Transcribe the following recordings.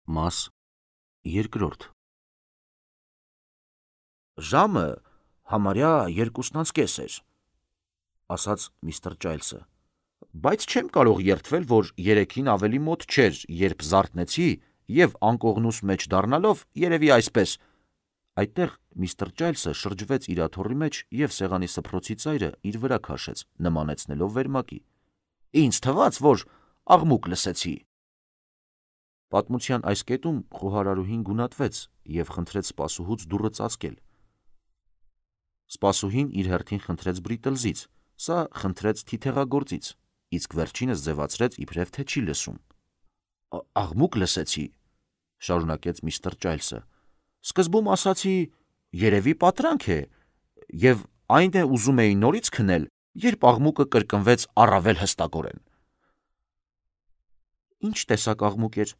Մաս երկրորդ Ժամը համարյա 2:30 էր, ասաց միստր Ճայլսը, բայց չեմ կարող երդվել, որ 3-ին ավելի մոտ չէր, երբ զարթնեցի և անկողնուս մեջ դառնալով, երևի այսպես. Այդտեղ միստր Ճայլսը շրջվեց իր աթոռի մեջ և սեղանի սփռոցի ծայրը իր վրա քաշեց, նմանեցնելով վերմակի. Ինձ թվաց, որ աղմուկ լսեցի։ Պատմության այս կետում խոհարարուհին գունատվեց և խնդրեց սպասուհուց դուռը ծածկել։ Սպասուհին իր հերթին խնդրեց Բրիտլզից, սա խնդրեց թիթեղագործից, իսկ վերջինս ձևացրեց, իբրև թե չի լսում։ Աղմուկ լսեցի, շարունակեց միստր Ճայլսը, սկզբում ասացի, երևի պատրանք է, և այն է ուզում էի նորից քնել, երբ աղմուկը կրկնվեց առավել հստակորեն։ Ինչ տեսակ աղմուկ էր,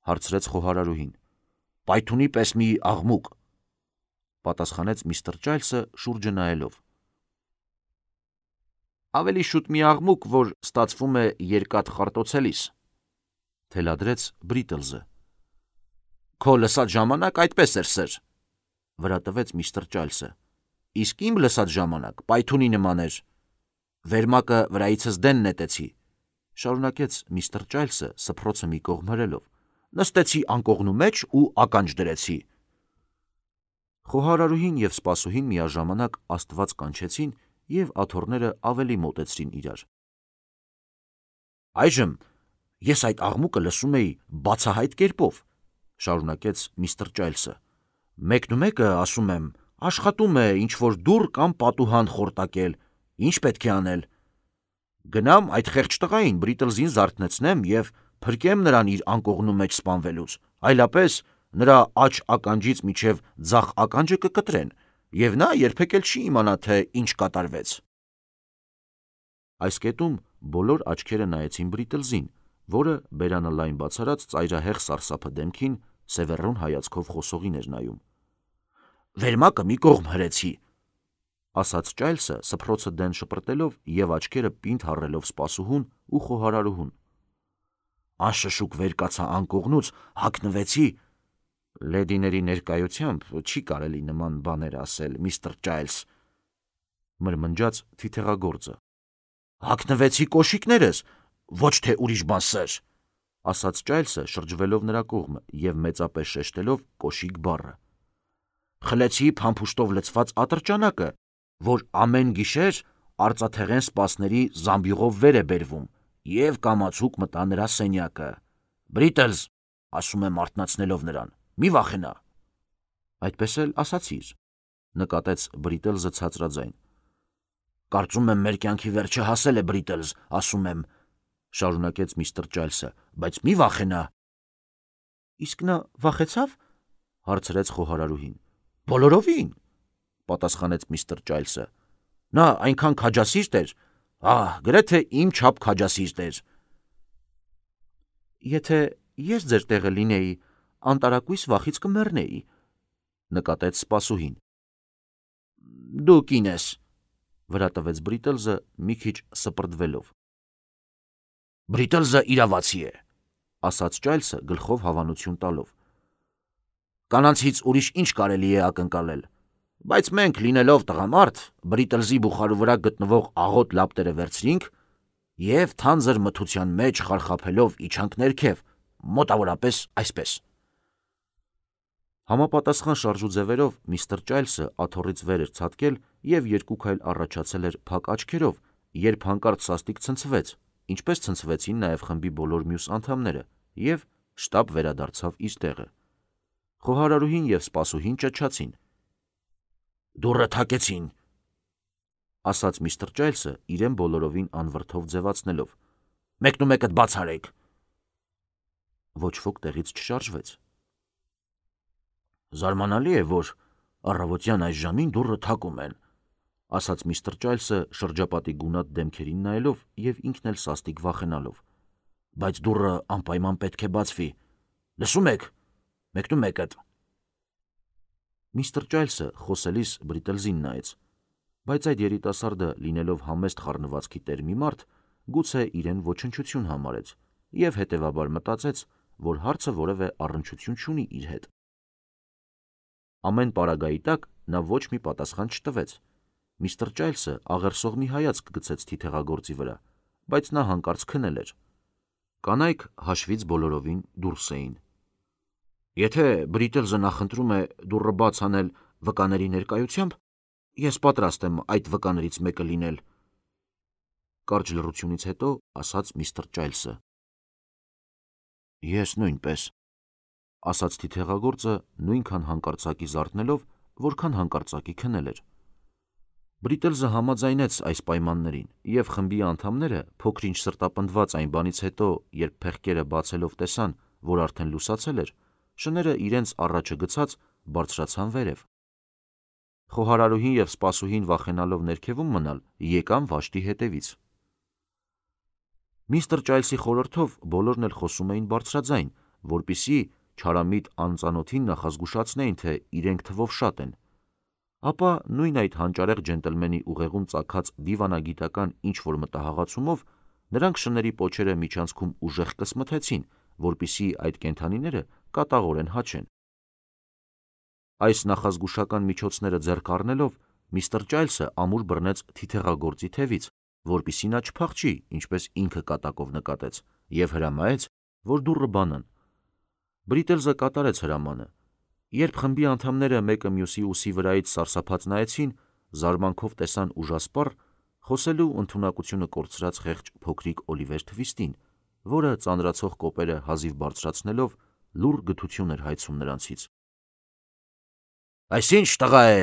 հարցրեց խոհարարուհին։ Պայթունի պես մի աղմուկ, պատասխանեց միստր Ճայլսը շուրջը նայելով։ Ավելի շուտ մի աղմուկ, որ ստացվում է երկաթ խարտոցելիս, թելադրեց Բրիտլզը։ Քո լսած ժամանակ այդպես էր, սըր, վրա տվեց միստր Ճայլսը, իսկ իմ լսած ժամանակ պայթունի նման էր։ Վերմակը վրայիցս դեն նետեցի, շարունակեց միստր Ճայլսը սփռոցը մի կողմ հրելով, նստեցի անկողնու մեջ ու ականջ դրեցի։ Խոհարարուհին և սպասուհին միաժամանակ Աստված կանչեցին և աթոռները ավելի մոտեցրին իրար։ Այժմ ես այդ աղմուկը լսում էի բացահայտ կերպով, շարունակեց միստր Ճայլսը։ Մեկնումեկը, ասում եմ, աշխատում է ինչ-որ դուռ կամ պատուհան խորտակել, ինչ պետք է անել։ Գնամ այդ խեղճ տղային Բրիտլզին զարթնեցնեմ և փրկեմ նրան իր անկողնու մեջ սպանվելուց, այլապես նրա աջ ականջից մինչև ձախ ականջը կկտրեն, և նա երբեք էլ չի իմանա, թե ինչ կատարվեց։ Այս կետում բոլոր աչքերը նայեցին Բրիտլզին, որը բերանը լայն բացարած ծայրահեղ սարսափը դեմքին սևեռուն հայացքով խոսողին էր նայում։ Վերմակը մի կողմ հրեցի, ասաց Ճայլսը սփռոցը դեն շպրտելով և աչքերը պինդ հառելով սպասուհուն ու խոհարարուհուն։ Անշշուկ վեր կացա անկողնուց, հագնվեցի։ Լեդիների ներկայությամբ չի կարելի նման բաներ ասել, միստր Ճայլս, մրմնջաց թիթեղագործը։ Հագնվեցի կոշիկներս, ոչ թե ուրիշ բան, սըր, ասաց Ճայլսը շրջվելով նրա կողմը և մեծապես շեշտելով կոշիկ բառը։ Խլեցի փամփուշտով լցված ատրճանակը, որ ամեն գիշեր արծաթեղեն սպասների զամբյուղով վեր է բերվում, և կամացուկ մտա նրա սենյակը։ Բրիտլզ, ասում եմ արթնացնելով նրան, մի վախենա։ Այդպես էլ ասացիր, նկատեց Բրիտլզը ցածրաձայն։ Կարծում եմ մեր կյանքի վերջը հասել է, Բրիտլզ, ասում եմ, շարունակեց միստր Ճայլսը, բայց մի վախենա։ Իսկ նա վախեցավ, հարցրեց խոհարարուհին։ Բոլորովին, պատասխանեց միստր Ճայլսը։ Նա այնքան քաջասիրտ էր, գրեթե իմ չափ քաջասիրտ էր։ Եթե ես ձեր տեղը լինեի, անտարակույս վախից կմեռնեի, նկատեց սպասուհին։ Դու կին ես, վրա տվեց Բրիտլզը մի քիչ սպրդվելով։ Բրիտլզը իրավացի է, ասաց Ճայլսը գլխով հավանություն տալով։ Կանանցից ուրիշ ինչ կարելի է ակնկալել, բայց մենք լինելով տղամարդ, Բրիտլզի բուխարու վրա գտնվող աղոտ լապտերը վերցրինք և թանձր մթության մեջ խարխափելով իջանք ներքև, մոտավորապես այսպես։ Համապատասխան շարժուձևերով միստր Ճայլսը աթոռից վեր էր ցատկել և երկու քայլ առաջացել էր փակ աչքերով, երբ հանկարծ սաստիկ ցնցվեց, ինչպես ցնցվեցին նաև խմբի բոլոր մյուս անդամները, և շտապ վերադարձավ իր տեղը։ Խոհարարուհին և սպասուհին ճչացին։ Դուռը թակեցին, ասաց միստր Ճայլսը իրեն բոլորովին անվրդով ձևացնելով։ Մեկնումեկդ բաց արեք։ Ոչ ոք տեղից չշարժվեց։ Զարմանալի է, որ առավոտյան այս ժամին դուռը թակում են, ասաց միստր Ճայլսը շրջապատի գունատ դեմքերին նայելով և ինքն էլ սաստիկ վախենալով։ Բայց դուռը անպայման պետք է բացվի։ Լսում եք, մեկնումեկդ։ Միստր Ճայլսը խոսելիս Բրիտլզին նայեց, բայց այդ երիտասարդը լինելով համեստ խառնվածքի տեր մի մարդ, գուցե իրեն ոչնչություն համարեց և հետևաբար մտածեց, որ հարցը որևէ առնչություն չունի իր հետ։ Ամեն պարագայի տակ նա ոչ մի պատասխան չտվեց։ Միստր Ջայլսը աղերսող մի հայացք գցեց թիթեղագործի վրա, բայց նա հանկարծ քնել էր։ Կանայք հաշվից բոլորովին դուրս էին։ Եթե Բրիտլզը նախընտրում է դուռը բաց անել վկաների ներկայությամբ, ես պատրաստ եմ այդ վկաներից մեկը լինել, կարճ լռությունից հետո ասաց միստր Ջայլսը։ Ես նույնպես, ասաց թիթեղագործը նույնքան հանկարծակի զարթնելով, որքան հանկարծակի քնել էր։ Բրիտլզը համաձայնեց այս պայմաններին, և խմբի անդամները փոքր-ինչ սրտապնդված այն բանից հետո, երբ փեղկերը բացելով տեսան, որ արդեն լուսացել էր, շները իրենց առաջը գցած բարձրացան վերև։ Խոհարարուհին և սպասուհին վախենալով ներքևում մնալ, եկան վաշտի հետևից։ Միստր Ջայլսի խորհրդով բոլորն էլ խոսում էին բարձրաձայն, որպեսզի չարամիտ անծանոթին նախազգուշացնեին, թե իրենք թվով շատ են։ Ապա նույն այդ հանճարեղ ջենտլմենի ուղեղում ծագած դիվանագիտական ինչ-որ մտահղացումով նրանք շների պոչերը միջանցքում ուժեղ կսմթեցին, որպեսզի այդ կենդանիները կատաղորեն հաչեն։ Այս նախազգուշական միջոցները ձեռք առնելով, միստր Ջայլսը ամուր բռնեց թիթեղագործի թևից, որպեսզի նա չփախչի, ինչպես ինքը կատակով նկատեց, և հրամայեց, որ դուռը բանան։ Բրիտլզը կատարեց հրամանը։ Երբ խմբի անդամները մեկը մյուսի ուսի վրայից սարսափած նայեցին, զարմանքով տեսան ուժասպառ, խոսելու ընդունակությունը կորցրած խեղճ փոքրիկ Օլիվեր Թվիստին, որը ծանրացող կոպերը հազիվ բարձրացնելով լուռ գթություն էր հայցում նրանցից։ Այս ի՞նչ տղա է,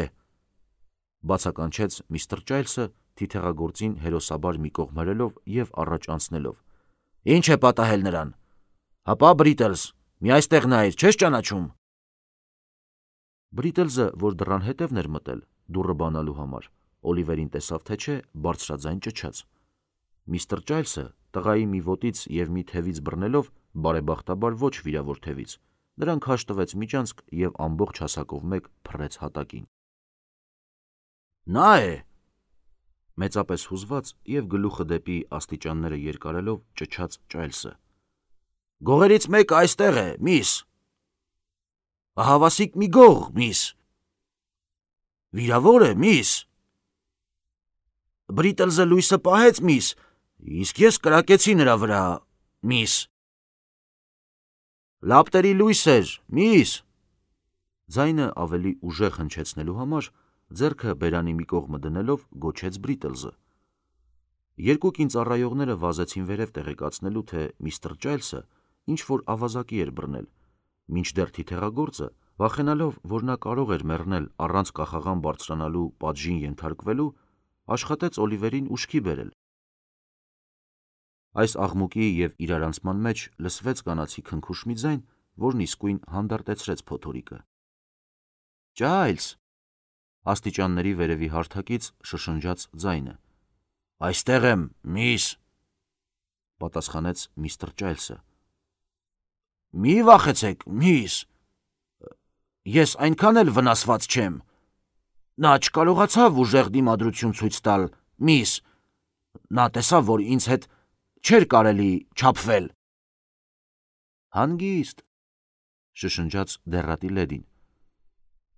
բացականչեց միստր Ջայլսը թիթեղագործին հերոսաբար մի կողմ հրելով և առաջ անցնելով։ Ինչ է պատահել նրան։ Հապա Բրիտլզ, մի այստեղ նայիր, չես ճանաչում։ Բրիտլզը, որ դռան հետևն էր մտել, դուռը բանալու համար, Օլիվերին տեսավ թե չէ, բարձրաձայն ճչաց։ Միստր Ջայլսը տղայի մի ոտից և մի թևից բռնելով, բարեբախտաբար ոչ վիրավոր թևից, նրան քաշ տվեց միջանցք և ամբողջ հասակով մեկ փռեց հատակին։ Նա է, մեծապես հուզված և գլուխը դեպի աստիճանները երկարելով ճչաց Ջայլսը։ Գողերից մեկը այստեղ է, միս։ Ահավասիկ մի գող, միս։ Վիրավոր է, միս։ Բրիտլզը լույսը պահեց, միս, իսկ ես կրակեցի նրա վրա, միս։ Լապտերի լույս էր, միս։ Ձայնը ավելի ուժեղ հնչեցնելու համար ձեռքը բերանի մի կողմը դնելով գոչեց Բրիտլզը։ Երկու կին-ծառայողները վազեցին վերև տեղեկացնելու, թե միստր Ջայլսը ինչ-որ ավազակի էր բռնել, մինչդեռ թիթեղագործը, վախենալով, որ նա կարող էր մեռնել առանց կախաղան բարձրանալու պատժին ենթարկվելու, աշխատեց Օլիվերին ուշքի բերել։ Այս աղմուկի և իրարանցման մեջ լսվեց կանացի քնքուշ մի ձայն, որն իսկույն հանդարտեցրեց փոթորիկը։ Ջայլս, աստիճանների վերևի հարթակից շշնջաց ձայնը։ Այստեղ եմ, միս, պատասխանեց միստր Ջայլսը։ Մի վախեցեք, միս, ես այնքան էլ վնասված չեմ։ Նա չկարողացավ ուժեղ դիմադրություն ցույց տալ, միս, նա տեսավ, որ ինձ հետ չէր կարելի չափվել։ Հանգիստ, շշնջաց դեռատի լեդին։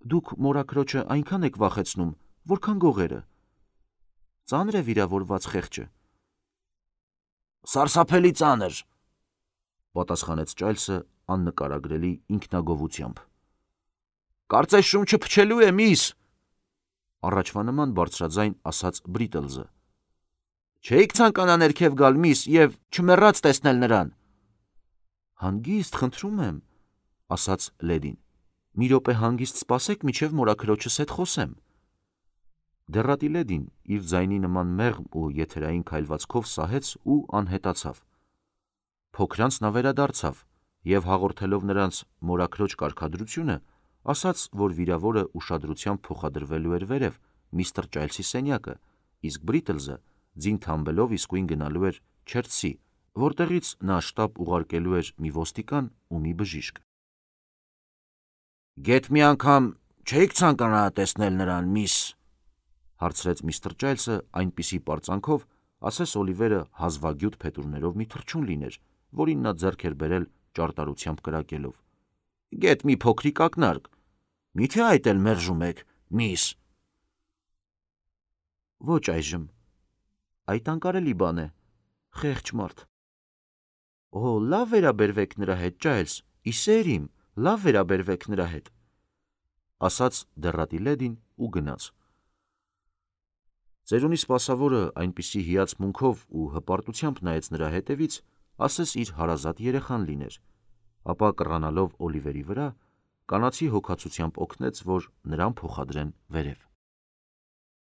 Դուք մորաքրոջը այնքան եք վախեցնում, որքան գողերը։ Ծանր է վիրավորված խեղճը։ Սարսափելի ծանր, պատասխանեց Ջայլսը աննկարագրելի ինքնագովությամբ։ Կարծես շունչը փչելու է, միս, առաջվա նման բարձրաձայն ասաց Բրիտլզը։ Չէիք ցանկանա ներքև գալ, միս, և չմեռած տեսնել նրան։ Հանգիստ, խնդրում եմ, ասաց լեդին։ Մի րոպե հանգիստ սպասեք, մինչև մորաքրոջս հետ խոսեմ։ Դեռատի լեդին իր ձայնի նման մեղմ ու եթերային քայլվածքով սահեց ու անհետացավ։ Փոքրանց նա վերադարձավ և հաղորդելով նրանց մորաքրոջ կարգադրությունը, ասաց, որ վիրավորը ուշադրությամբ փոխադրվելու էր վերև միստր Ջայլսի սենյակը, իսկ Բրիտլզը ձին թամբելով իսկույն գնալու էր Չերթսի, որտեղից նա շտապ ուղարկելու էր մի ոստիկան ու մի բժիշկ։ Գեթ մի անգամ չէիք ցանկանա տեսնել նրան, միս, հարցրեց միստր Ջայլսը այնպիսի պարծանքով, ասես Օլիվերը հազվագյուտ փետուրներով մի թռչուն լիներ, որին նա ձեռք էր բերել ճարտարությամբ կրակելով։ Գետ մի փոքրիկ ակնարկ, միթե այդ էլ մերժում եք, միս։ Ոչ այժմ, այդ անկարելի բան է, խեղճ մարդ։ Օ, լավ վերաբերվեք նրա հետ, Ջայլս, իսեր իմ, լավ վերաբերվեք նրա հետ, ասաց դեռատի լեդին ու գնաց։ Ծերունի սպասավորը այնպիսի հիացմունքով ու հպարտությամբ նայեց նրա հետևից, ասես իր հարազատ երեխան լիներ, ապա կռանալով Օլիվերի վրա, կանացի հոգացությամբ օգնեց, որ նրան փոխադրեն վերև։